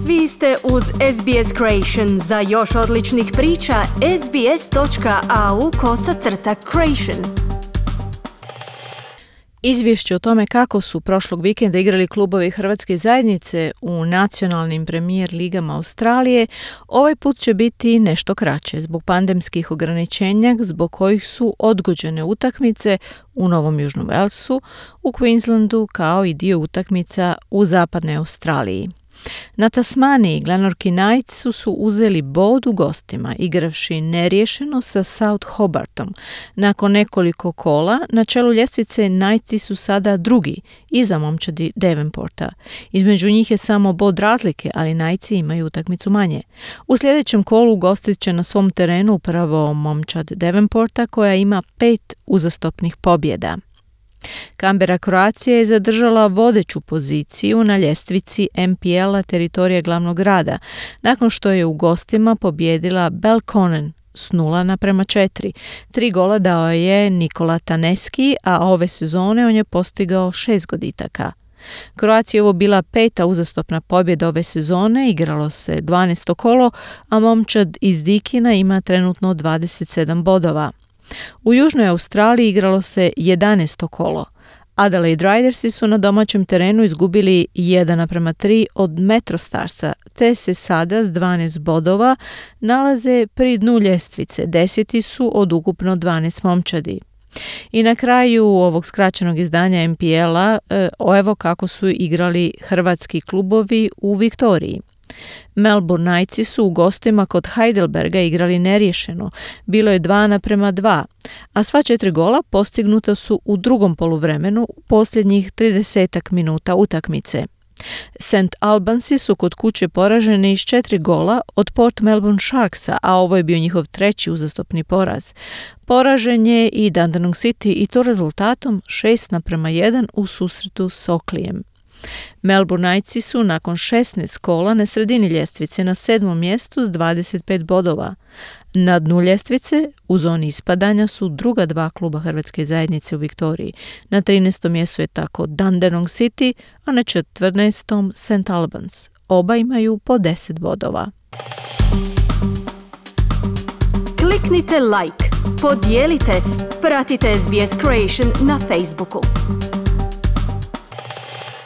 Vi ste uz SBS Creation. Za još odličnih priča, sbs.au/creation. Izvješće o tome kako su prošlog vikenda igrali klubovi Hrvatske zajednice u nacionalnim premijer ligama Australije ovaj put će biti nešto kraće zbog pandemskih ograničenja zbog kojih su odgođene utakmice u Novom Južnom Walesu, u Queenslandu kao i dio utakmica u zapadnoj Australiji. Na Tasmaniji Glenorchy Knights su uzeli bod u gostima, igravši neriješeno sa South Hobartom. Nakon nekoliko kola, na čelu ljestvice Knightsi su sada drugi, iza momčadi Devonporta. Između njih je samo bod razlike, ali Knightsi imaju utakmicu manje. U sljedećem kolu gostit će na svom terenu upravo momčad Devonporta koja ima 5 uzastopnih pobjeda. Canberra Croatia je zadržala vodeću poziciju na ljestvici NPL-a teritorija glavnog grada, nakon što je u gostima pobijedila Belconnen s 0:4. 3 gola dao je Nikola Taneski, a ove sezone on je postigao 6 goditaka. Croatia je ovo bila 5. uzastopna pobjeda ove sezone, igralo se 12. kolo, a momčad iz Dikina ima trenutno 27 bodova. U Južnoj Australiji igralo se 11. kolo. Adelaide Ridersi su na domaćem terenu izgubili 1:3 od Metro Starsa, te se sada s 12 bodova nalaze pri dnu ljestvice. 10. su od ukupno 12 momčadi. I na kraju ovog skraćenog izdanja NPL-a evo kako su igrali hrvatski klubovi u Viktoriji. Melbourne Knightsi su u gostima kod Heidelberga igrali neriješeno, bilo je 2:2, a sva 4 gola postignuta su u drugom poluvremenu u posljednjih 30 minuta utakmice. St. Albansi su kod kuće poraženi iz 4 gola od Port Melbourne Sharksa, a ovo je bio njihov 3. uzastopni poraz. Poražen je i Dandenong City i to rezultatom 6:1 u susretu s Oakleym. Melbourne Knightsi su nakon 16 kola na sredini ljestvice na 7. mjestu s 25 bodova. Na dnu ljestvice u zoni ispadanja su druga 2 kluba Hrvatske zajednice u Viktoriji. Na 13. mjestu je tako Dandenong City, a na 14. St. Albans. Oba imaju po 10 bodova. Kliknite like, podijelite, pratite SBS Creation na Facebooku.